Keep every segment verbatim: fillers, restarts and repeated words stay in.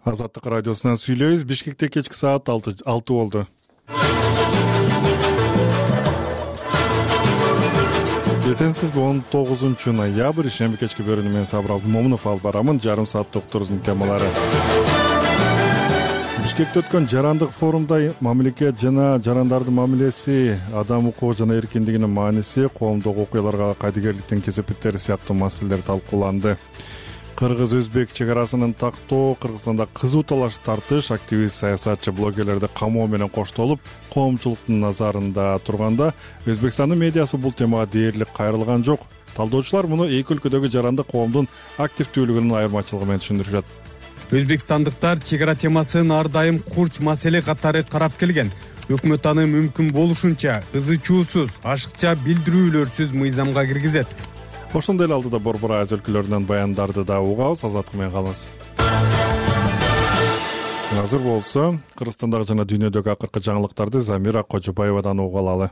Азаттык радиосунан сүйлөйбүз. Бишкекте кечки саат алты болду. Эсенсизби, он тогузунчу ноябрь, ишемби кечки бөрүнү менен Сабыр Абдымомунов алып барамын. Жарым саат докторубуздун темалары. Бишкекте өткөн жарандык форумда мамлекет жана жарандардын мамилеси, адам укугу жана эркиндигинин мааниси, коомдук окуяларга кайдыгерликтин кесепеттери сыяктуу маселелер талкууланды. Кыргыз-өзбек чек арасынын тактоо, Кыргызстанда кызуу талаш тартыш, активист, саясатчы, блогерлерди камоо менен коштолуп, коомчулуктун назарында турганда, Өзбекстандын медиасы бул темага дээрлик кайрылган жок. Талдоочулар муну эки өлкөдөгү жарандык коомдун активдүүлүгүнүн айырмачылыгы менен түшүндүрүшөт. Өзбекстандыктар чек ара темасын ар дайым курч маселе катары карап келген. Өкмөт аны мүмкүн болушунча ызы-чуусуз, ашыкча билдирүүлөрсүз мыйзамга киргизет. Ошондой эле алдыда Борбор Азия өлкөлөрүнөн баяндарды да угабыз. Азаттык менен калыңыз. Азыр болсо Кыргызстандагы жана дүйнөдөгү акыркы жаңылыктарды Замира Кожобаевадан угуп алалы.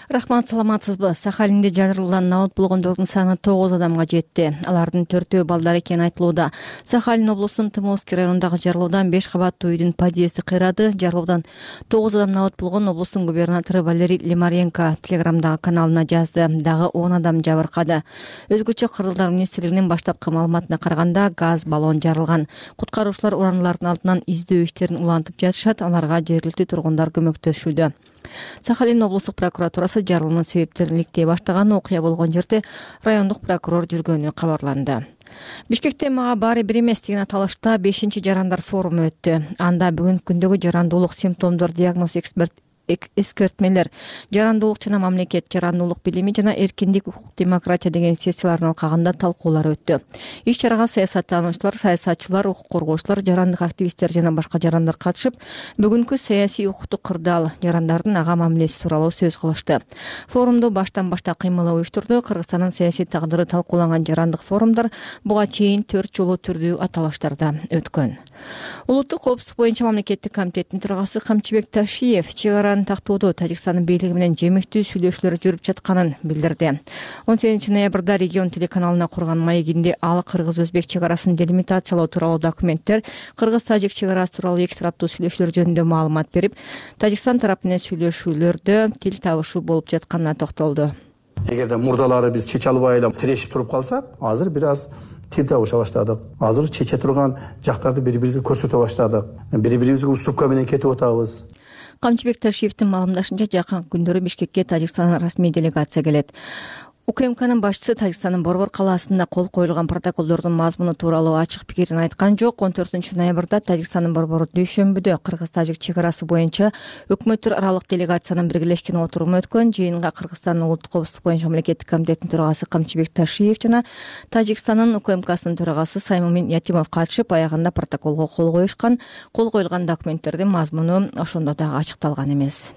Рахмат, саламатсызбы? Сахалинде жарылуудан набыт болгондордун саны тогуз адамга жетти. Алардын төртөө балдар экени айтылууда. Сахалин облусунун Тымовский районундагы жарылуудан беш кабаттуу үйдүн подъезди кыйрады. Жарылуудан тогуз адам набыт болгон облустун губернатору Валерий Лимаренко Телеграмдагы каналына жазды. Дагы он адам жабыркады. Өзгөчө Кыргыздар министрлигинин баштапкы маалыматына караганда, газ баллон жарылган. Куткаруучулар уранылардын алдынан издөө иштерин улантып жатышат. Аларга жергиликтүү тургундар көмөктөшүүдө. Сахалин облустук прокуратурасы жарылуунун себептерин иликтей баштаган. Окуя болгон жерде райондук прокурор жүргөнү кабарланды. Бишкекте мага баары бир эмес деген аталышта бешинчи жарандар форуму өттү. Анда бүгүнкү күндөгү жарандуулук симптомдор, диагноз, эксперт эскертмелер, жарандуулук жана мамлекет, жарандуулук билими жана эркиндик, укук, демократия деген сессиялардын алкагында талкуулар өттү. Иш чарага саясаттануучулар, саясатчылар, укук коргоочулар, жарандык активисттер жана башка жарандар катышып, бүгүнкү саясий, укуктук кырдаал, жарандардын ага мамилеси тууралуу сөз кылышты. Форумду баштан башта кыймылы уюштурду. Кыргызстандын саясий тагдыры талкууланган жарандык форумдар буга чейин төрт жолу түрдүү аталыштарда өткөн. Улуттук коопсуздук боюнча мамлекеттик комитеттин төрагасы Камчыбек Ташиев чек араны тактоодо Тажикстандын бийлиги менен жемиштүү сүйлөшүүлөр жүрүп жатканын билдирди. он сегизинчи ноябрда регион телеканалына курган маегинде ал Кыргыз-Өзбек чек арасын делимитациялоо тууралуу документтер, Кыргыз-Тажик чек арасы тууралуу эки тараптуу сүйлөшүүлөр жөнүндө маалымат берип, Тажикстан тарапы менен сүйлөшүүлөрдө тил табышуу болуп жатканына токтолду. Эгерде мурдалары биз чече албай эле тирешип туруп калсак, азыр бир аз тил табыша баштадык. Азыр чече турган жактарды бири-бирибизге көрсөтө баштадык. Бири-бирибизге уступка менен кетип атабыз. Камчыбек Ташиевдин маалымдашынча, жакын күндөрү Бишкекке Тажикстандан расмий делегация келет. УКМКнын башчысы Тажикстандын Борбор калаасында кол коюлган протоколдордун мазмуну тууралуу ачык пикирин айткан жок. он төртүнчү ноябрда Тажикстандын Борбору дүйшөмбүдө Кыргыз-Тажик чек арасы боюнча өкмөттөр аралык делегациянын биргелешкен отуруму өткөн. Жыйынга Кыргызстандын улуттук коопсуздук боюнча мамлекеттик комитеттин төрагасы Камчыбек Ташиев жана Тажикстандын УКМКсынын төрагасы Саймумин Ятимов катышып, аягында протоколго кол коюшкан. Кол коюлган документтердин мазмуну ошондо дагы ачыкталган эмес.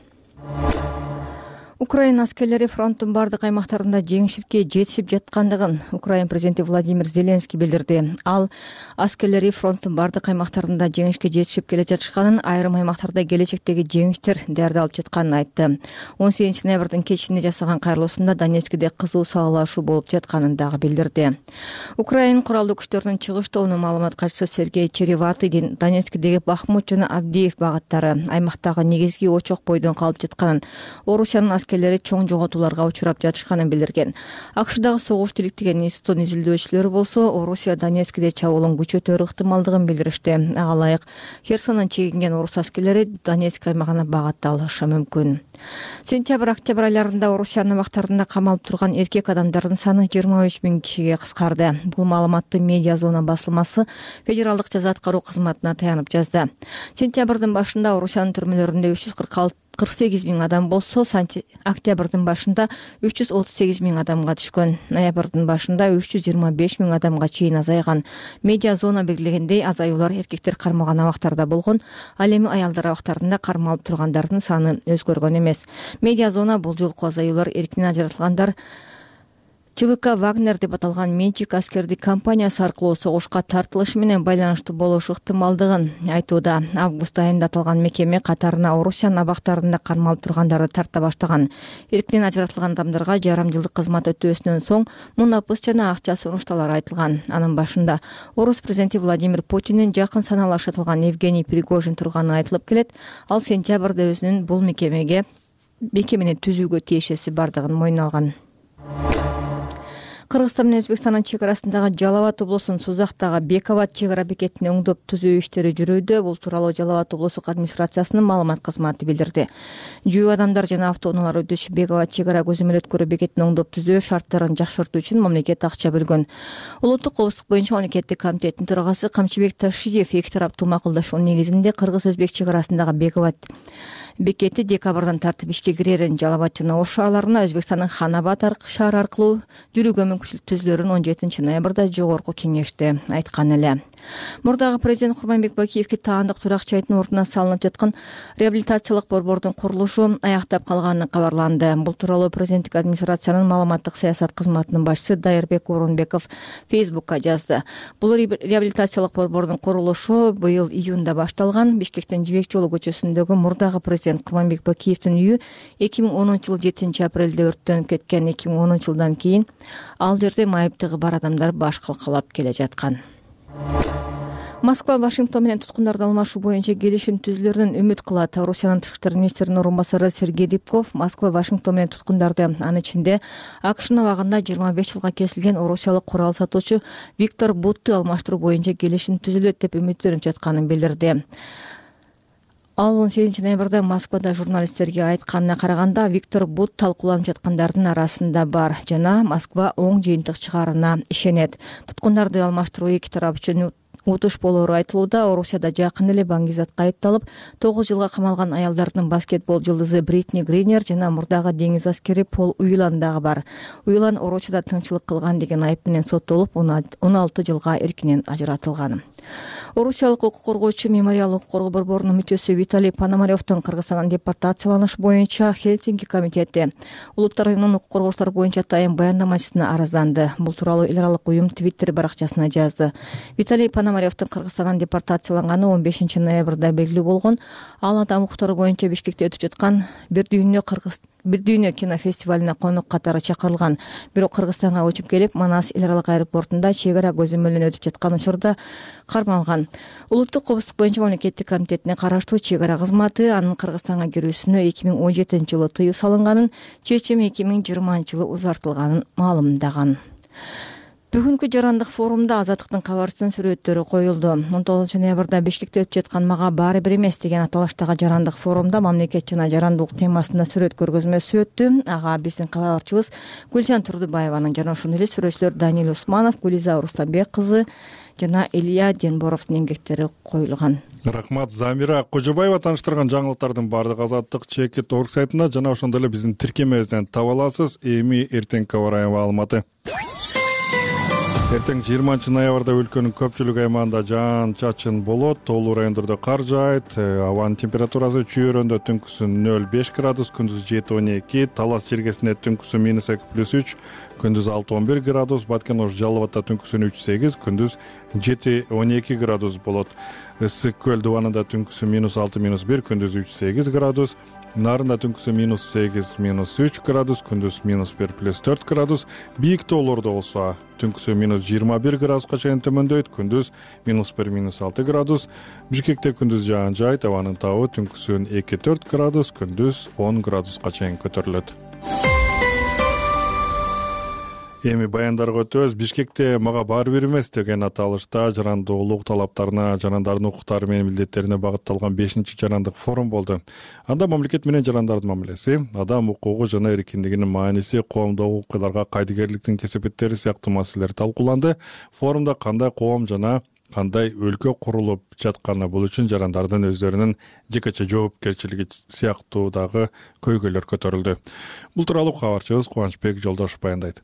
Украина аскерлери фронттун бардык аймактарында жеңишипке жетишип жаткандыгын Украина президенти Владимир Зеленский билдирди. Ал аскерлери фронттун бардык аймактарында жеңишке жетишип келе жатышканын, айрым аймактарда келечектеги жеңиштер даярдалып жатканын айтты. он сегизинчи ноябрдын кечинде жасаган кайрылуусунда Донецкиде кызуу салалашуу болуп жатканын дагы билдирди. Украина куралдуу күчтөрүнүн чыгыш тобунун маалымат катчысы Сергей Череватый Донецкидеги Бахмут жана Авдеев багыттары аймактагы негизги очок бойдон калып жатканын, Орусиянын аскерлери чоң жоготууларга учурап жатышканын билдирген. АКШдагы согуш тиликтеген институттун изилдөөчүлөрү болсо, Орусия Донецкиде чабуулун күчөтөр ыктымалдыгын билдиришти. Ага ылайык Херсондон чегинген орус аскерлери Донецк аймагына багытталышы мүмкүн. Сентябрь-октябрь айларында Орусиянын абактарында камалып турган эркек адамдардын саны жыйырма үч миң кишиге кыскарды. Бул маалыматты Медиа Зона басылмасы Федералдык жаза аткаруу кызматына таянып жазды. Сентябрдын башында Орусиянын түрмөлөрүндө үч жүз кырк алты кырк сегиз миң адам болсо, октябрдын башында үч жүз отуз сегиз миң адамга түшкөн. Ноябрдын башында үч жүз жыйырма беш миң адамга чейин азайган. Медиа Зона белгилегендей, азаюулар эркектер кармалган абактарда болгон, ал эми аялдар абактарында кармалып тургандардын саны өзгөргөн эмес. Медиа Зона бул жолку азаюулар эркинен ажыратылгандар ЧВК «Вагнер» деп аталган менчик аскердик компаниясы аркылуу согушка тартылышы менен байланыштуу болушу ыктымалдыгын айтууда. Август айында аталган мекеме катарына Орусиянын абактарында кармалып тургандарды тарта баштаган. Эрктен ажыратылган адамдарга жарым жылдык кызмат өтөөсүнөн соң мунапыс жана акча сунушталары айтылган. Анын башында Орус президенти Владимир Путиндин жакын саналашы аталган Евгений Пригожин турганы айтылып келет. Ал сентябрда өзүнүн бул мекемеге мекемени түзүүгө тиешеси бардыгын мойнуна алган. Кыргызстан менен Өзбекстандын чек арасындагы Жалал Абад облусунун Сузактагы Бек Абад чек ара бекетин оңдоп түзүү иштери жүрүүдө. Бул тууралуу Жалал Абад облустук администрациясынын маалымат кызматы билдирди. Жөө адамдар жана автоунаалар өтүш Бек Абад чек ара көзөмөл өткөрүү бекетин оңдоп түзөө шарттарын жакшыртуу үчүн мамлекет акча бөлгөн. Улуттук коопсуздук боюнча мамлекеттик комитеттин төрагасы Камчыбек Ташиев эки тараптуу макулдашуу негизинде кыргыз-өзбек чек арасындагы Бек Абад бекети декабрдан тартып ишке кирерин, Жалал Абад жана Ош шаарларына Өзбекстандын Ханабад шаары аркылуу жүрүүгө мүмкүнчүлүк түзүлөрүн он жетинчи ноябрда жогорку кеңеште айткан эле. Мурдагы президент Курманбек Бакиевке таандык туракчайдын ордуна салынып жаткан реабилитациялык борбордун курулушу аяктап калганы кабарланды. Бул тууралуу президенттик администрациянын маалыматтык саясат кызматынын башчысы Дайырбек Орунбеков Фейсбукка жазды. Бул реабилитациялык борбордун курулушу быйыл июнда башталган. Бишкектин Жибек жолу көчөсүндөгү мурдагы президент Курманбек Бакиевдин үйү эки миң онунчу жылы жетинчи апрелде өрттөнүп кеткен. эки миң онунчу жылдан кийин ал жерде майыптыгы бар адамдар баш калкалап келе жаткан. Москва Вашингтон менен туткундарды алмашуу боюнча келишим түзүлөрүнөн үмүт кылат. Орусиянын тышкы иштер министринин орун басары Сергей Рябков Москва Вашингтон менен туткундарды, анын ичинде АКШнын абагында жыйырма беш жылга кесилген орусиялык курал сатуучу Виктор Бутты алмаштыруу боюнча келишим түзүлөт деп үмүттөнүп жатканын билдирди. Ал он сегизинчи ноябрда Москвада журналисттерге айтканына караганда, Виктор Бут талкууланып жаткандардын арасында бар жана Москва оң жыйынтык чыгаарына ишенет. Туткундарды алмаштыруу эки тарап үчүн утуш болоору айтылууда. Орусияда жакын эле баңгизатка айыпталып тогуз жылга камалган аялдардын баскетбол жылдызы Бритни Гринер жана мурдагы деңиз аскери Пол Уйлан дагы бар. Уйлан Орусияда тыңчылык кылган деген айып менен соттолуп, он алты жылга эркинен ажыратылган. Орусиялык укук коргоочу Мемориал укук коргоо борборунун мүчөсү Виталий Пономаревдин Кыргызстандан депортацияланыш боюнча Хельсинки комитети Улуттар уюмунун укук коргоочулар боюнча атайын баяндамачысына аразданды. Бул тууралуу эл аралык уюм Твиттер баракчасына жазды. Виталий Пономаревдин Кыргызстандан депортацияланганы он бешинчи ноябрда белгилүү болгон. Ал адам укуктары боюнча Бишкекте өтүп жаткан Бир дүйнө Кыргыз Бир дүйнө кинофестивалине конок катары чакырылган. Бирок Кыргызстанга учуп келип, Манас эл аралык аэропортунда чек ара көзөмөлүнөн өтүп жаткан учурда кармалган. Улуттук коопсуздук боюнча мамлекеттик комитетине караштуу чек ара кызматы анын Кыргызстанга кирүүсүнө эки миң он жетинчи жылы тыюу салынганын, чечим эки миң жыйырманчы жылы узартылганын маалымдаган. Бүгүнкү жарандык форумда Азаттыктын кабарчысынын сүрөттөрү коюлду. он тогузунчу ноябрда Бишкекте өтүп жаткан «Мага баары бир эмес» деген аталыштагы жарандык форумда мамлекет жана жарандуулук темасында сүрөт көргөзмөсү өттү. Ага биздин кабарчыбыз Гүлжан Турдубаеванын жана ошондой эле сүрөтчүлөр Данил Усманов, Гүлиза Рустамбек кызы жана Илья Денборовдун эмгектери коюлган. Рахмат, Замира Кожобаева тааныштырган жаңылыктардын баардыгы Азаттык чекит орг сайтында жана ошондой эле биздин тиркемебизден таба аласыз. Эми эртеңки аба ырайы маалыматы. Эртең жыйырманчы ноябрда өлкөнүн көпчүлүк аймагында жаан чачын болот, тоолуу райондордо кар жаайт. Абанын температурасы чүйөрөндө түнкүсү нөл беш градус, күндүз жети он эки, Талас жергесинде түнкүсү минус эки плюс үч, күндүз алты он бир градус, Баткен Ош Жалал Абадта түнкүсү үч сегиз, күндүз жети он эки градус болот. Ысык көл дубанында түнкүсү минус алты минус бир, күндүз үч сегиз градус, Нарында түнкүсү минус сегиз минус үч градус, күндүз минус бир плюс төрт градус, бийик тоолордо болсо түнкүсү минус жыйырма бир градуска чейин төмөндөйт, күндүз минус бир минус алты градус. Бишкекте күндүз жаан жаайт, абанын табы түнкүсүн эки төрт градус, күндүз он градуска чейин көтөрүлөт. Эми баяндарга өтөбүз. Бишкекте «Мага баары бир эмес» деген аталышта жарандуулук талаптарына, жарандардын укуктары менен милдеттерине багытталган бешинчи жарандык форум болду. Анда мамлекет менен жарандардын мамилеси, адам укугу жана эркиндигинин мааниси, коомдогу окуяларга кайдыгерликтин кесепеттери сыяктуу маселелер талкууланды. Форумда кандай коом жана кандай өлкө курулуп жатканы, бул үчүн жарандардын өздөрүнүн жекече жоопкерчилиги сыяктуудагы көйгөйлөр көтөрүлдү. Бул тууралуу кабарчыбыз Кубанычбек Жолдошов баяндайт.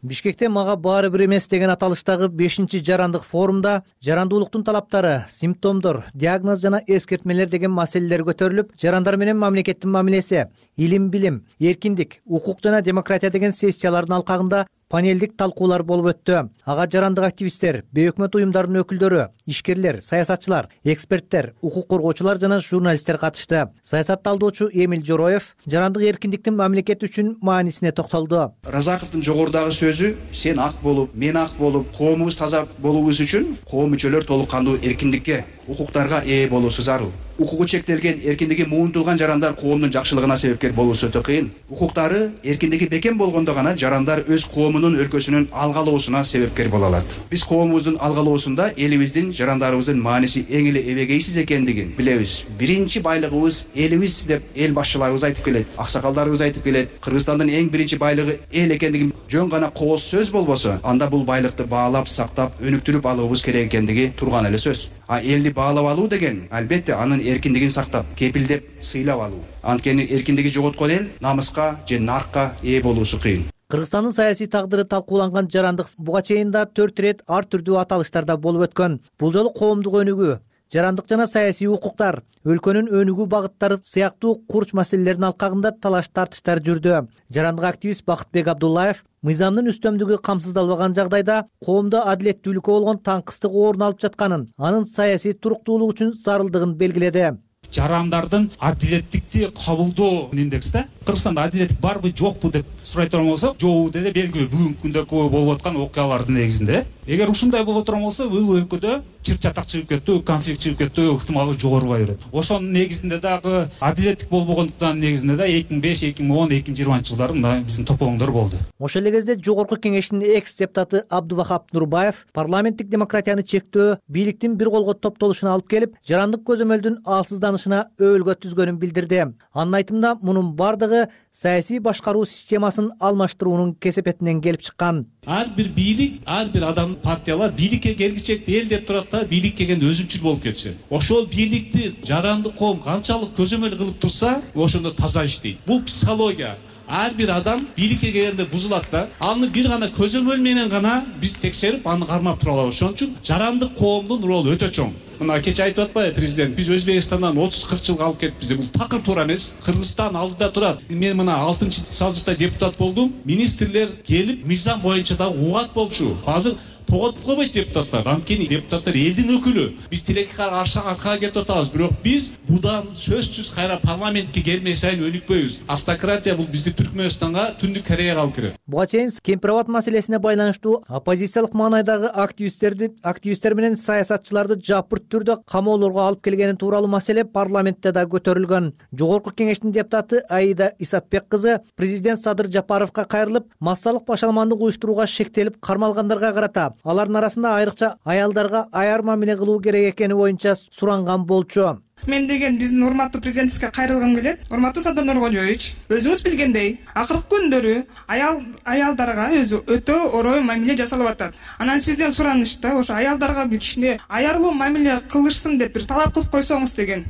Бишкекте «Мага баары бир эмес» деген аталыштагы бешинчи жарандык форумда жарандуулуктун талаптары, симптомдор, диагноз жана эскертмелер деген маселелер көтөрүлүп, жарандар менен мамлекеттин мамилеси, илим билим, эркиндик, укук жана демократия деген сессиялардын алкагында панелдик талкуулар болуп өттү. Ага жарандык активисттер, бейөкмөт уюмдарынын өкүлдөрү, ишкерлер, саясатчылар, эксперттер, укук коргоочулар жана журналисттер катышты. Саясат талдоочу Эмил Жороев жарандык эркиндиктин мамлекет үчүн маанисине токтолду. Разаковдун жогорудагы сөзү сен ак болуп, мен ак болуп, коомубуз таза болуубуз үчүн коом мүчөлөр толук кандуу эркиндикке, укуктарга ээ болуусу зарыл. Укугу чектелген, эркиндиги муунтулган жарандар коомдун жакшылыгына себепкер болуусу өтө кыйын. Укуктары, эркиндиги бекем болгондо гана жарандар өз коомунун өлкөсүнүн алгалоосуна себепкер боло алат. Биз коомубуздун алгалоосунда элибиздин, жарандарыбыздын мааниси эң эле эбегейсиз экендигин билебиз. Биринчи байлыгыбыз элибиз деп эл башчыларыбыз айтып келет, аксакалдарыбыз айтып келет. Кыргызстандын эң биринчи байлыгы эл экендигин жөн гана кооз сөз болбосо, анда бул байлыкты баалап, сактап, өнүктүрүп алуубуз керек экендиги турган эле сөз. А элди баалап алуу деген албетте анын эркиндигин сактап, кепилдеп, сыйлап алуу. Анткени эркиндиги жоготкон эл намыска же наркка ээ болуусу кыйын. Кыргызстандын саясий тагдыры талкууланган жарандык буга чейин да төрт ирет ар түрдүү аталыштарда болуп өткөн. Бул жолу коомдук өнүгүү, жарандык жана саясий укуктар, өлкөнүн өнүгүү багыттары сыяктуу курч маселелердин алкагында талаш тартыштар жүрдү. Жарандык активист Бакытбек Абдуллаев мыйзамдын үстөмдүгү камсыздалбаган жагдайда коомдо адилеттүүлүккө болгон таңкыстык орун алып жатканын, анын саясий туруктуулук үчүн зарылдыгын белгиледи. Жарандардын адилеттикти кабылдоо индексте Кыргызстанда адилеттик барбы жокпу деп сурай турган болсок, жокпу деди белгилүү бүгүнкү күндө болуп аткан окуялардын негизинде. Эгер ушундай боло турган болсо, бул өлкөдө чыр чатак чыгып кеттүү, конфликт чыгып кеттүү ыктымалы жогорубай берет. Ошонун негизинде дагы адилеттик болбогондуктан негизинде да эки миң беш, эки миң он, эки миң жыйырманчы жылдары мына биздин топоңдор болду. Ошол эле кезде Жогорку Кеңештин экс депутаты Абдувахап Нурбаев парламенттик демократияны чектөө, бийликтин бир колго топтолушуна алып келип, жарандык көзөмөлдүн алсызданышына өбөлгө түзгөнүн билдирди. Анын айтымында мунун бардыгы саясий башкаруу системасын алмаштыруунун кесепетинен келип чыккан. Ар бир бийлик, ар бир адам, партиялар бийликке келгичек эл деп турат да, бийлик келгенде өзүнчүл болуп кетишет. Ошол бийликти жарандык коом канчалык көзөмөл кылып турса, ошондо таза иштейт. Бул психология. Ар бир адам бийликке келгенде бузулат да, аны бир гана көзөмөл менен гана биз текшерип, аны кармап тура алабыз. Ошон үчүн жарандык коомдун ролу өтө чоң. Мына кече айтып атпайбы президент, биз Өзбекстандан отуз кырк жылга алып кетипиз. Бул такыр туура эмес. Кыргызстан алдыда турат. Мен мына алтынчы созывда депутат болдум. Министрлер келип, мыйзам боюнча да угат болчу. Азыр тоготуп койбойт депутаттар. Анткени депутаттар элдин өкүлү. Биз тилекке каршы аркага кетип атабыз. Бирок биз будан сөзсүз кайра парламентке келмей сайын өнүкпөйбүз. Автократия бул бизди Түркмөнстанга, Түндүк Кореяга алып келет. Буга чейин кемпир-абад маселесине байланыштуу оппозициялык маанайдагы активисттерди, активисттер менен саясатчыларды жапырт түрдө камоолорго алып келгени тууралуу маселе парламентте да көтөрүлгөн. Жогорку Кеңештин депутаты Аида Исатбек кызы президент Садыр Жапаровго кайрылып, массалык башаламандык уюштурууга шектелип кармалгандарга карата алардын арасында айрыкча аялдарга аяр мамиле кылуу керек экени боюнча суранган болчу. Мен деген биздин урматтуу президентибизге кайрылгым келет. Урматтуу Садыр Нуркожоевич, өзүңүз билгендей, акыркы күндөрү аял аялдарга өзү өтө орой мамиле жасалып атат. Анан сизден суранышта ошо аялдарга бир кичине аярлуу мамиле кылышсын деп бир талап кылып койсоңуз деген.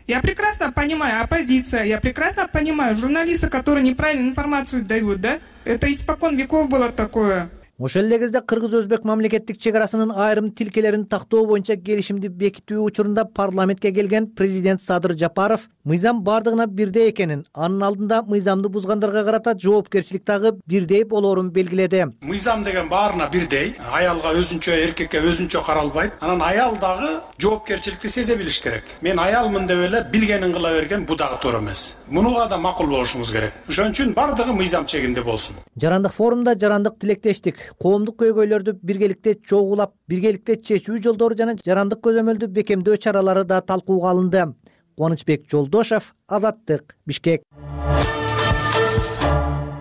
Я прекрасно понимаю оппозиция, я прекрасно понимаю журналисты, которые неправильную информацию дают, да? Это испокон веков было такое. Ошол эле кезде кыргыз-өзбек мамлекеттик чек арасынын айрым тилкелерин тактоо боюнча келишимди бекитүү учурунда парламентке келген президент Садыр Жапаров мыйзам бардыгына бирдей экенин, анын алдында мыйзамды бузгандарга карата жоопкерчилик дагы бирдей болоорун белгиледи. Мыйзам деген баарына бирдей, аялга өзүнчө, эркекке өзүнчө каралбайт. Анан аял дагы жоопкерчиликти сезе билиш керек. Мен аялмын деп эле билгенин кыла берген бу дагы туура эмес. Мунуга да макул болушубуз керек. Ошон үчүн бардыгы мыйзам чегинде болсун. Жарандык форумда жарандык тилектештик, коомдук көйгөйлөрдү биргеликте чогулап, биргеликте чечүү жолдору жана жарандык көзөмөлдү бекемдөө чаралары да талкууга алынды. Кубанычбек Жолдошев, Азаттык, Бишкек.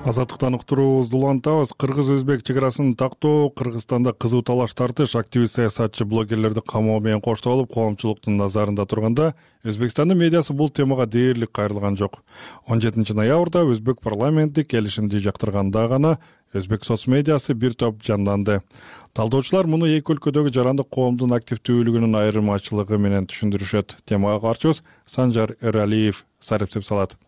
Азаттыктан уктуруубузду улантабыз. Кыргыз-өзбек чек арасын тактоо Кыргызстанда кызуу талаш тартыш, активист саясатчы блогерлерди камоо менен коштолуп, коомчулуктун назарында турганда Өзбекстандын медиасы бул темага дээрлик кайрылган жок. он жетинчи ноябрда өзбек парламенти келишимди жактырганда гана өзбек соц медиасы бир топ жанданды. Талдоочулар муну эки өлкөдөгү жарандык коомдун активдүүлүгүнүн айырмачылыгы менен түшүндүрүшөт. Темага карчыбыз Санжар Эралиев сарыптеп салат.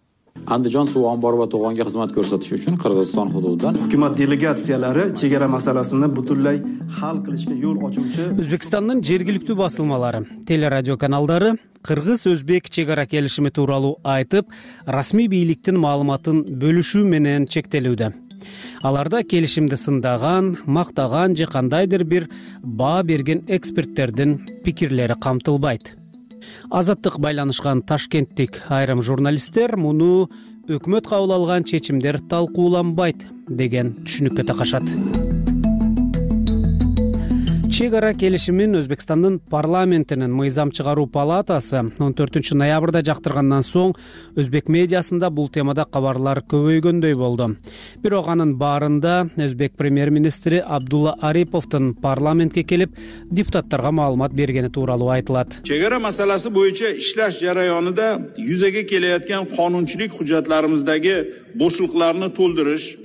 Андижон суу амбарба то'g'onga xizmat ko'rsatish uchun Qirg'iziston hududidan hukumat delegatsiyalari chegara masalasini butunlay hal qilishga yo'l ochuvchi O'zbekistonning жергиликтүү басылмалары, телерадио каналдары Кыргыз-Өзбек чек ара келишими тууралуу айтып, расмий бийликтин маалыматын бөлүшүү менен чектелүүдө. Аларда келишимди сындаган, мактаган же кандайдыр бир баа берген эксперттердин пикирлери камтылбайт. Азаттык байланышкан ташкенттик айрым журналисттер муну өкмөт кабыл алган чечимдер талкууланбайт деген түшүнүккө такашат. Чек ара келишимин Өзбекстандын парламентинин мыйзам чыгаруу палатасы он төртүнчү ноябрда жактыргандан соң өзбек медиасында бул темада кабарлар көбөйгөндөй болду. Бирок анын баарында өзбек премьер-министри Абдулла Ариповдун парламентке келип депутаттарга маалымат бергени тууралуу айтылат. Чек ара маселеси боюнча иштеш жараёнунда юзеге келаткан канунчулук hujjatlarimizdagi boşluklarını толтуруш,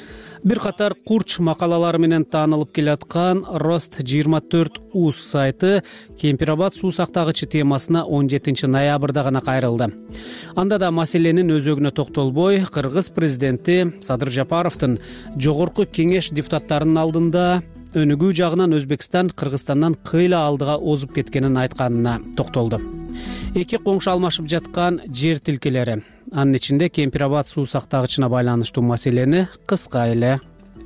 бир катар курч макалалары менен таанылып келаткан Рост жыйырма төрт уз сайты Кемпирабад суу сактагычы темасына он жетинчи ноябрда гана кайрылды. Анда да маселенин өзөгүнө токтолбой, Кыргыз президенти Садыр Жапаровдун жогорку кеңеш депутаттарынын алдында өнүгүү жагынан Өзбекстан Кыргызстандан кыйла алдыга озуп кеткенин айтканына токтолду. Эки коңшу алмашып жаткан жер тилкелери, анын ичинде Кемпирабад суу сактагычына байланыштуу маселени кыска эле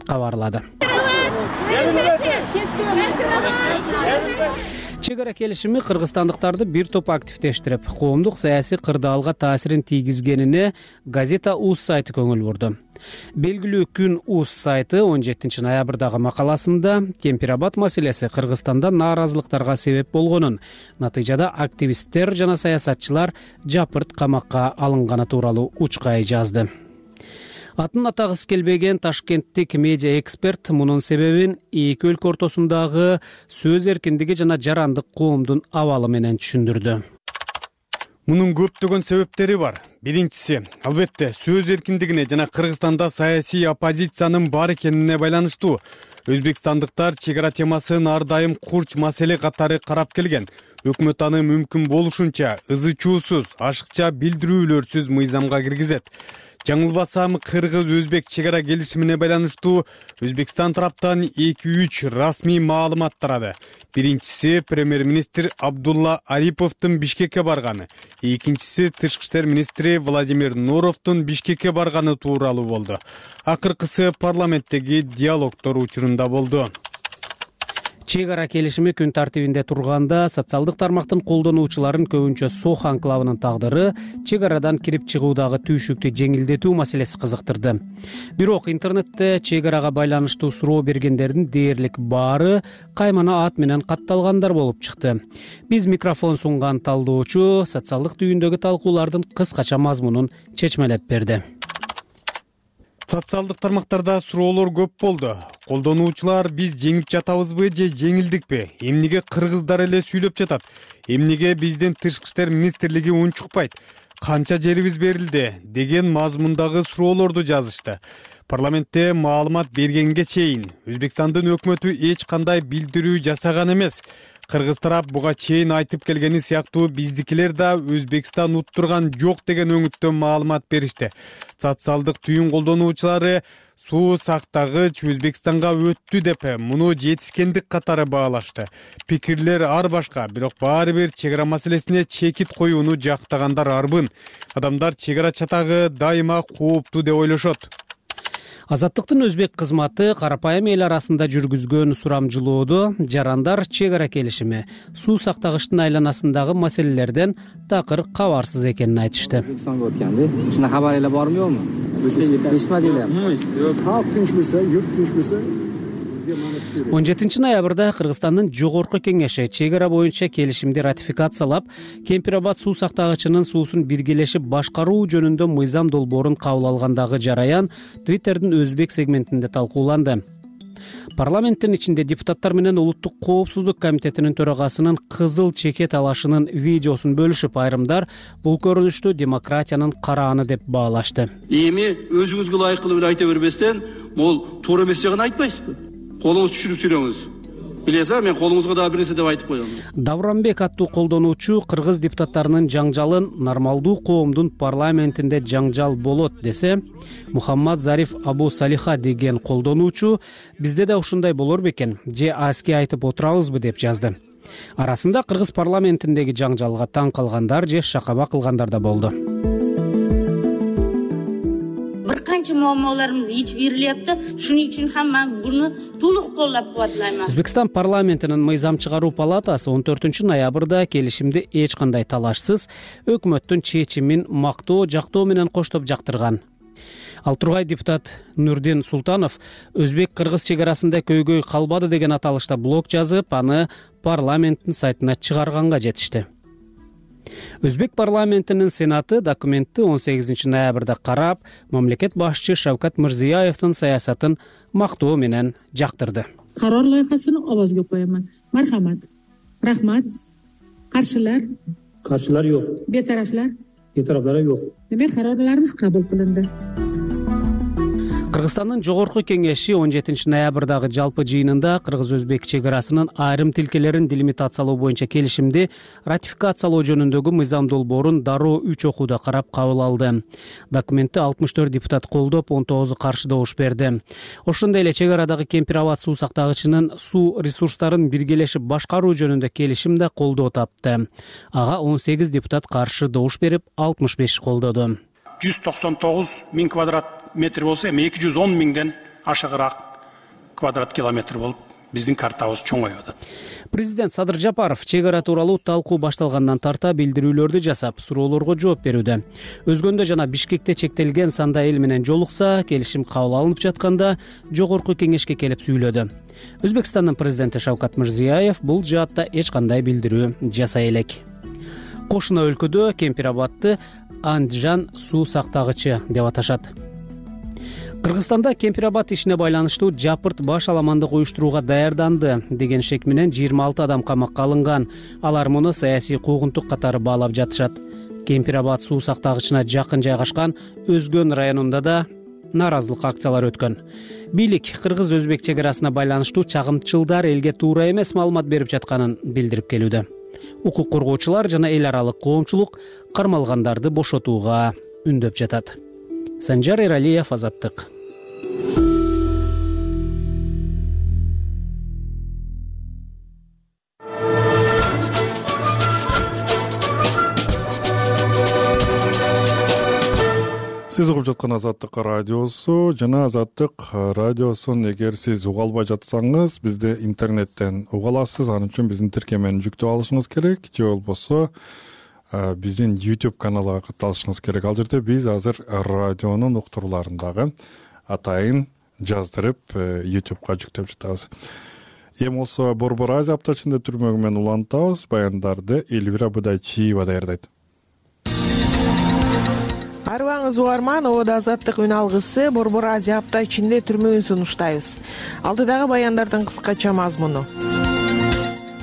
кабарлады. Чек ара келишими кыргызстандыктарды бир топ активдештирип, коомдук саясий кырдаалга таасирин тийгизгенине Газета уз сайты көңүл бурду. Белгилүү күн уз сайты он жетинчи ноябрдагы макаласында Кемпирабад маселеси Кыргызстанда нааразылыктарга себеп болгонун, натыйжада активисттер жана саясатчылар жапырт камакка алынганы тууралуу учкай жазды. Атын атагысы келбеген ташкенттик медиа эксперт мунун себебин эки өлкө ортосундагы сөз эркиндиги жана жарандык коомдун абалы менен түшүндүрдү. Мунун көптөгөн себептери бар. Биринчиси, албетте, сөз эркиндигине жана Кыргызстанда саясий оппозициянын бар экенине байланыштуу. Өзбекстандыктар чек ара темасын ар дайым курч маселе катары карап келген. Өкмөт аны мүмкүн болушунча ызы чуусуз, ашыкча билдирүүлөрсүз мыйзамга киргизет. Жаңылбасам, Кыргыз-Өзбек чек ара келишимине байланыштуу Өзбекстан тараптан эки үч расмий маалымат тарады. Биринчиси премьер-министр Абдулла Ариповдун Бишкекке барганы, экинчиси тышкы иштер министри Владимир Нуровдун Бишкекке барганы тууралуу болду. Акыркысы парламенттеги диалогдор учурунда болду. Чек ара келишими күн тартибинде турганда социалдык тармактын колдонуучуларын көбүнчө Сох анклавынын тагдыры чек арадан кирип чыгуудагы түйшүктү жеңилдетүү маселеси кызыктырды. Бирок интернетте чек арага байланыштуу суроо бергендердин дээрлик баары каймана ат менен катталгандар болуп чыкты. Биз микрофон сунган талдоочу социалдык түйүндөгү талкуулардын кыскача мазмунун чечмелеп берди. Социалдык тармактарда суроолор көп болду. Колдонуучулар биз жеңип жатабызбы же жеңилдикпи? Эмнеге кыргыздар эле сүйлөп жатат? Эмнеге биздин тышкы иштер министрлиги унчукпайт? Канча жерибиз берилди? Деген мазмундагы суроолорду жазышты. Парламентте маалымат бергенге чейин Өзбекстандын өкмөтү эч кандай билдирүү жасаган эмес. Кыргыз тарап буга чейин айтып келгени сыяктуу биздикилер да Өзбекстан уттурган жок деген өңүттөн маалымат беришти. Социалдык түйүн колдонуучулары суу сактагыч Өзбекстанга өттү деп муну жетишкендик катары баалашты. Пикирлер ар башка, бирок баары бир чек ара маселесине чекит коюуну жактагандар арбын. Адамдар чек ара чатагы дайыма кооптуу деп ойлошот. Азаттыктын өзбек кызматы карапайым эл арасында жүргүзгөн сурамжылоодо жарандар чек ара келишими, суу сактагычтын айланасындагы маселелерден такыр кабарсыз экенин айтышты. Өзбекстанга өткөндө ушундай кабар эле барбы жокму? Эстмедилер. Калк тынч болсо, юрт тынч болсо он жетинчи ноябрда Кыргызстандын жогорку кеңеши чек ара боюнча келишимди ратификациялап, Кемпирабад суу сактагычынын суусун биргелешип башкаруу жөнүндө мыйзам долбоорун кабыл алгандагы жараян Twitterдин өзбек сегментинде талкууланды. Парламенттин ичинде депутаттар менен Улуттук коопсуздук комитетинин төрагасынын кызыл чекет алышынын видеосун бөлүшүп, айрымдар бул көрүнүштү демократиянын карааны деп баалашты. Эми өзүңүзгө ылайыктуу эле айта бербестен, могул туура эмес жагын айтпайсызбы? Колуңузду түшүрүп сүйлөңүз. Билесиз, мен колуңузга дагы бир нерсе деп айтып коем. Давранбек аттуу колдонуучу кыргыз депутаттарынын жаңжалын нормалдуу коомдун парламентинде жаңжал болот десе, Мухаммад Зариф Абу Салиха деген колдонуучу бизде да ушундай болор бекен, же аски айтып отурабызбы деп жазды. Арасында кыргыз парламентиндеги жаңжалга таң калгандар же шакаба кылгандар да болду. биринчи muammolarimiz yechib berilyapti. Shuning uchun ham men buni to'liq qo'llab-quvvatlayman. Өзбекстан парламентинин мыйзам чыгаруу палатасы он төртүнчү ноябрда келишимди эч кандай талашсыз өкмөттүн чечимин мактоо, жактоо менен коштоп жактырган. Ал тургай депутат Нурдин Султанов өзбек-кыргыз чек арасында көйгөй калбады деген аталышта блог жазып, аны парламенттин сайтына чыгарганга жетишти. Өзбек парламентинин сенаты документти он сегизинчи ноябрда карап, мамлекет башчы Шавкат Мирзиёевдин саясатын мактоо менен жактырды. Карар лайыхасын овозго коёмун. Мархамат. Рахмат. Каршылар? Каршылар жок. Бетарафлар? Бетарафлар жок. Демек карарларыбыз кабыл кылынды. Кыргызстандын жогорку кеңеши он жетинчи ноябрдагы жалпы жыйынында кыргыз-өзбек чек арасынын айрым тилкелерин делимитациялоо боюнча келишимди ратификациялоо жөнүндөгү мыйзам долбоорун дароо үч окууда карап кабыл алды. Документти алтымыш төрт депутат колдоп, он тогузу каршы добуш берди. Ошондой эле чек арадагы Кемпир Абад суу сактагычынын суу ресурстарын биргелешип башкаруу жөнүндө келишим да колдоо тапты. Ага он сегиз депутат каршы добуш берип, алтымыш беш колдоду. жүз токсон тогуз миң квадрат метр болсо, эми эки жүз он миңден ашыгыраак квадрат километр болуп, биздин картабыз чоңоюп атат. Президент Садыр Жапаров чек ара тууралуу талкуу башталгандан тарта билдирүүлөрдү жасап, суроолорго жооп берүүдө. Өзгөндө жана Бишкекте чектелген санда эл менен жолукса, келишим кабыл алынып жатканда жогорку кеңешке келип сүйлөдү. Өзбекстандын президенти Шавкат Мирзиёев бул жаатта эч кандай билдирүү жасай элек. Кошуна өлкөдө Кемпир Абадты Андижан суу сактагычы деп аташат. Кыргызстанда Кемпир Абад ишине байланыштуу жапырт баш аламандык уюштурууга даярданды деген шек менен жыйырма алты адам камакка алынган. Алар муну саясий куугунтук катары баалап жатышат. Кемпир Абад суу сактагычына жакын жайгашкан Өзгөн районунда да нааразылык акциялары өткөн. Бийлик кыргыз-өзбек чек арасына байланыштуу чагымчылдар элге туура эмес маалымат берип жатканын билдирип келүүдө. Укук коргоочулар жана эл аралык коомчулук кармалгандарды бошотууга үндөп жатат. Санжар Эралиев, Азаттык. Сиз угуп жаткан Азаттык радиосу жана Азаттык радиосун эгер сиз уга албай жатсаңыз, бизди интернеттен уга аласыз. Анын үчүн биздин тиркемени жүктөп алышыңыз керек, же болбосо биздин YouTube каналга катталышыңыз керек. Ал жерде биз азыр радионун уктурууларын атайын жаздырып YouTubeга жүктөп жатабыз. Эми болсо Борбор Азия аптачында түрмөгү менен улантабыз. Баяндарды Элвира Будайчиева даярдайт. Арыбаңыз угарман, обода Азаттык үн алгысы Борбор Азия апта ичинде түрмөгүн сунуштайбыз. Алдыдагы баяндардын кыскача мазмуну.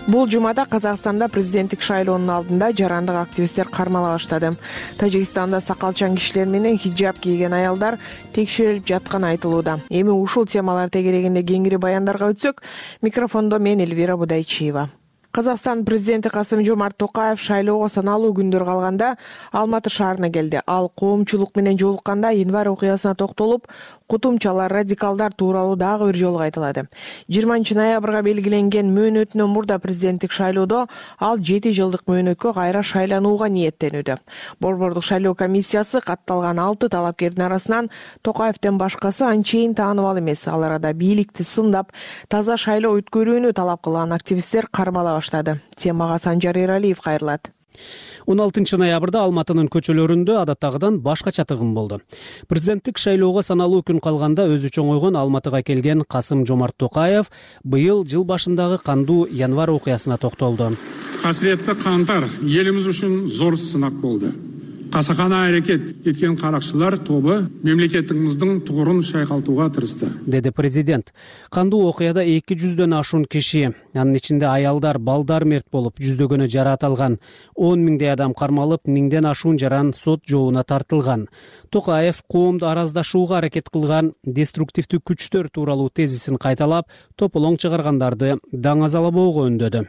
Бул жумада Казакстанда президенттик шайлоонун алдында жарандык активисттер кармала баштады. Тажикстанда сакалчан кишилер менен хиджаб кийген аялдар текшерилип жатканы айтылууда. Эми ушул темалар тегерегинде кеңири баяндарга өтсөк, микрофондо мен Элвира Будайчиева. Казакстан президенти Касым-Жомарт Токаев шайлоого саналуу күндөр калганда Алматы шаарына келди. Ал коомчулук менен жолукканда январь окуясына токтолуп, кутумчалар, радикалдар тууралуу дагы бир жолу айтылады. жыйырманчы ноябрга белгиленген мөөнөтүнөн мурда президенттик шайлоодо ал жети жылдык мөөнөткө кайра шайланууга ниеттенүүдө. Борбордук шайлоо комиссиясы катталган алты талапкердин арасынан Токаевден башкасы анчейин тааныбал эмес. Ал арада бийликти сындап, таза шайлоо өткөрүүнү талап кылган активисттер кармала баштады. Темага Санжар Эралиев кайрылат. он алтынчы ноябрда Алматынын көчөлөрүндө адаттагыдан башкача тыгын болду. Президенттик шайлоого саналуу күн калганда өзү чоңойгон Алматыга келген Касым-Жомарт Токаев быйыл жыл башындагы кандуу январь окуясына токтолду. Касиретти кантар элибиз үчүн зор сынак болду. Касакана аракет эткен каракчылар тобу мемлекетибиздин тугурун шайкалтууга тырышты, деди президент. Кандуу окуяда эки жүздөн ашуун киши, анын ичинде аялдар, балдар мерт болуп, жүздөгөнү жараат алган, он миңдей адам кармалып, миңден ашуун жаран сот жообуна тартылган. Токаев коомду араздашууга аракет кылган деструктивдүү күчтөр тууралуу тезисин кайталап, тополоң чыгаргандарды даңазалабоого үндөдү.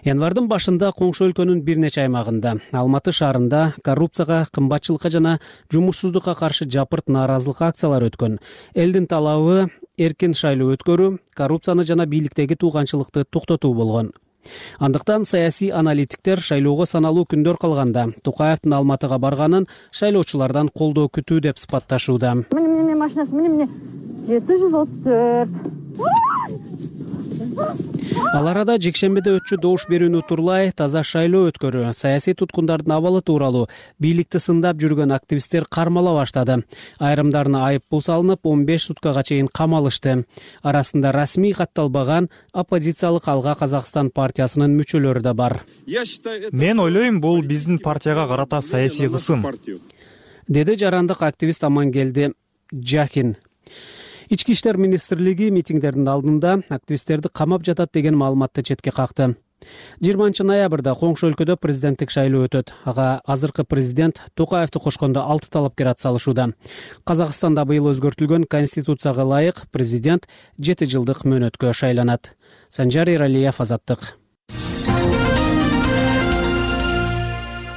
Январдын башында коңшу өлкөнүн бир нече аймагында, Алматы шаарында коррупцияга, кымбатчылыкка жана жумушсуздукка каршы жапырт нааразылык акциялары өткөн. Элдин талабы эркин шайлоо өткөрүү, коррупцияны жана бийликтеги тууганчылыкты токтотуу болгон. Андыктан саясий аналитиктер шайлоого саналуу күндөр калганда Токаевдин Алматыга барганын шайлоочулардан колдоо күтүү деп сыпатташууда. Міне міне машинасы, міне міне жети жүз отуз төрт. Ал арада жекшембиде өтчү добуш берүүнү утурлай таза шайлоо өткөрүү, саясий туткундардын абалы тууралуу бийликти сындап жүргөн активисттер кармала баштады. Айрымдарына айып пул салынып, он беш суткага чейин камалышты. Арасында расмий катталбаган оппозициялык Алга Казакстан партиясынын мүчөлөрү да бар. Мен ойлойм, бул биздин партияга карата саясий кысым, деди жарандык активист Амангелди Жакин. Ички иштер министрлиги митингдердин алдында активисттерди камап жатат деген маалыматты четке какты. жыйырманчы ноябрда коңшу өлкөдө президенттик шайлоо өтөт. Ага азыркы президент Токаевди кошкондо алты талапкер атсалышууда. Казакстанда быйыл өзгөртүлгөн конституцияга ылайык президент жети жылдык мөөнөткө шайланат. Санжар Иралиев, Азаттык.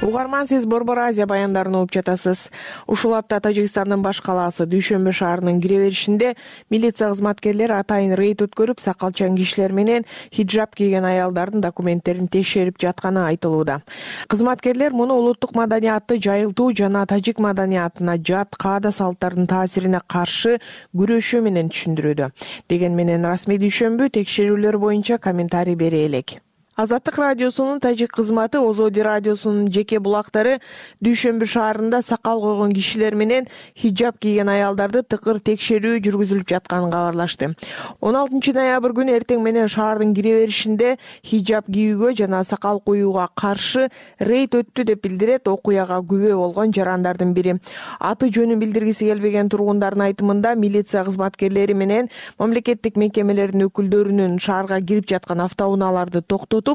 Угарман, сиз Борбор Азия баяндарын угуп жатасыз. Ушул апта Тажикстандын баш калаасы Дүйшөмбү шаарынын кире беришинде милиция кызматкерлери атайын рейд өткөрүп, сакалчан кишилер менен хиджаб кийген аялдардын документтерин текшерип жатканы айтылууда. Кызматкерлер муну улуттук маданиятты жайылтуу жана тажик маданиятына жат каада салттардын таасирине каршы күрөшүү менен түшүндүрүүдө. Деген менен расмий Дүйшөмбү текшерүүлөр боюнча комментарий бере элек. Азаттык радиосунун тажик кызматы Озоди радиосунун жеке булактары Дүйшөмбү шаарында сакал койгон кишилер менен хиджаб кийген аялдарды тыкыр текшерүү жүргүзүлүп жатканын кабарлашты. он алтынчы ноябрь күнү эртең менен шаардын кире беришинде хиджаб кийүүгө жана сакал коюуга каршы рейд өттү деп билдирет окуяга күбө болгон жарандардын бири. Аты жөнүн билдиргиси келбеген тургундардын айтымында милиция кызматкерлери менен мамлекеттик мекемелердин өкүлдөрүнүн шаарга кирип жаткан автоунааларды токтотуп,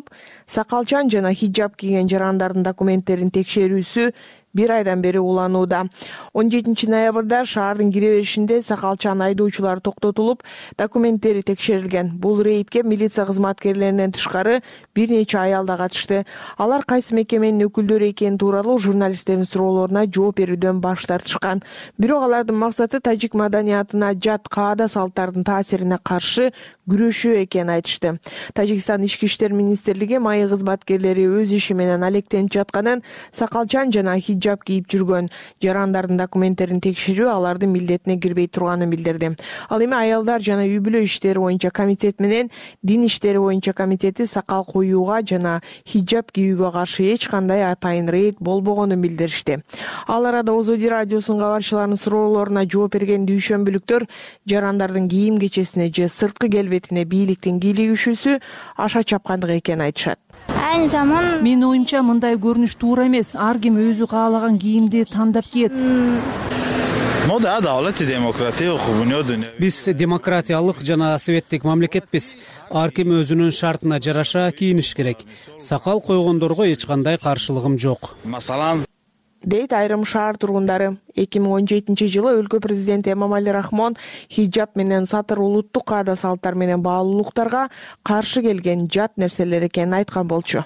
сакалчан жана хиджаб кийген жарандардын документтерин текшерүүсү бир айдан бери уланууда. он жетинчи ноябрда шаардын кире беришинде сакалчан айдоочулар токтотулуп, документтери текшерилген. Бул рейдке милиция кызматкерлеринен тышкары бир нече аял да катышты. Алар кайсы мекеменин өкүлдөрү экени тууралуу журналисттердин суроолоруна жооп берүүдөн баш тартышкан. Бирок алардын максаты тажик маданиятына жат каада салттардын таасирине каршы күрөшүү экенин айтышты. Тажикстан ички иштер министрлиги майы кызматкерлери өз иши менен алектенип жатканын, сакалчан жана хиджаб кийип жүргөн жарандардын документтерин текшерүү алардын милдетине кирбей турганын билдирди. Ал эми аялдар жана үй бүлө иштери боюнча комитет менен дин иштери боюнча комитети сакал коюуга жана хиджаб кийүүгө каршы эч кандай атайын рейд болбогонун билдиришти. Ал арада Озоди радиосунун кабарчыларынын суроолоруна жооп берген дүйшөмбүлүктөр жарандардын кийим кечесине же сырткы келбетине бийликтин кийлигишүүсү аша чапкандык экенин айтышат. Айны заман менин оюмча мындай көрүнүш туура эмес. Ар ким өзү каалаган кийимди тандап кийет. Биз демократиялык жана советтик мамлекетпиз. Ар ким өзүнүн шартына жараша кийиниш керек. Сакал койгондорго эч кандай каршылыгым жок. Масалан, дейт айрым шаар тургундары. эки миң он жетинчи жылы өлкө президенти Эмомали Рахмон хиджаб менен сатыр улуттук каада салттар менен баалуулуктарга каршы келген жат нерселер экенин айткан болчу.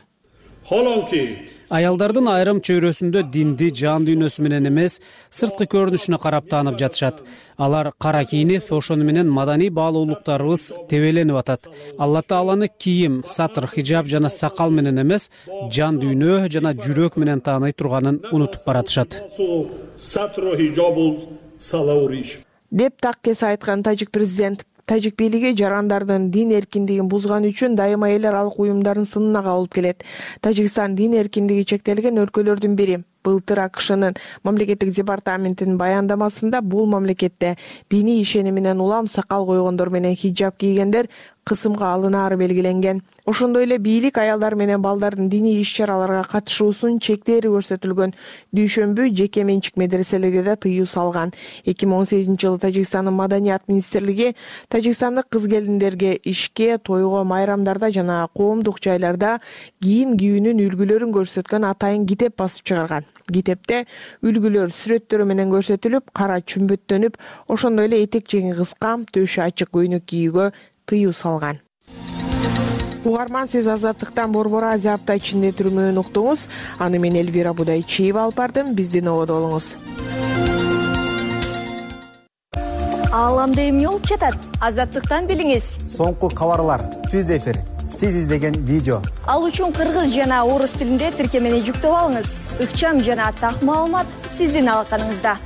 Аялдардын айрым чөйрөсүндө динди жан дүйнөсү менен эмес, сырткы көрүнүшүнө карап таанып жатышат. Алар кара кийинип, ошону менен маданий баалуулуктарыбыз тебеленип атат. Алла Тааланы кийим, сатыр, хиджаб жана сакал менен эмес, жан дүйнө жана жүрөк менен тааный турганын унутуп баратышат. Деп так кесе айткан тажик президент. Тажик бийлиги жарандардын дин эркиндигин бузган үчүн дайыма эл аралык уюмдардын сынына кабылып келет. Тажикстан дин эркиндиги чектелген өлкөлөрдүн бири. Былтыр АКШнын мамлекеттик департаментинин баяндамасында бул мамлекетте диний ишениминен улам сакал койгондор менен хиджаб кийгендер кысымга алынаары белгиленген. Ошондой эле бийлик аялдар менен балдардын диний иш-чараларга катышуусун чектери көрсөтүлгөн. Дүйшөмбү жеке менчик медреселерге да тыюу салган. эки миң он сегизинчи жылы Тажикстандын маданият министрлиги тажикстандык кыз-келиндерге ишке, тойго, майрамдарда жана коомдук жайларда кийим кийүүнүн үлгүлөрүн көрсөткөн атайын китеп басып чыгарган. Китепте үлгүлөр сүрөттөрү менен көрсөтүлүп, кара чүмбөттөнүп, ошондой эле этек жеңи кыска, төшү ачык көйнөк кийүүгө тыюу салган. Угарман, сиз Азаттыктан Борбор Азия апта ичинде түрмөөнү уктуңуз. Аны мен Элвира Будайчиева алып бардым. Биздин ободо болуңуз. Ааламда эмне болуп жатат? Азаттыктан билиңиз. Соңку кабарлар, түз эфир, сиз издеген видео. Ал үчүн кыргыз жана орус тилинде тиркемени жүктөп алыңыз. Ыкчам жана так маалымат сиздин алаканыңызда.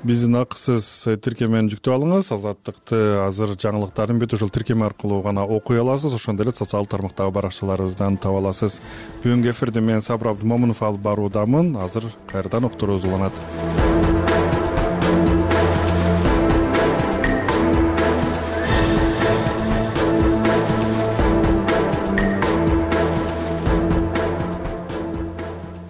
Биздин акысыз тиркемени жүктөп алыңыз. Азаттыкты азыр жаңылыктарын бүт ушул тиркеме аркылуу гана окуй аласыз. Ошондой эле социалдык тармактагы баракчаларыбыздан таба аласыз. Бүгүнкү эфирди мен Сабыр Абдымомунов алып баруудамын. Азыр кайрадан уктуруубуз уланат.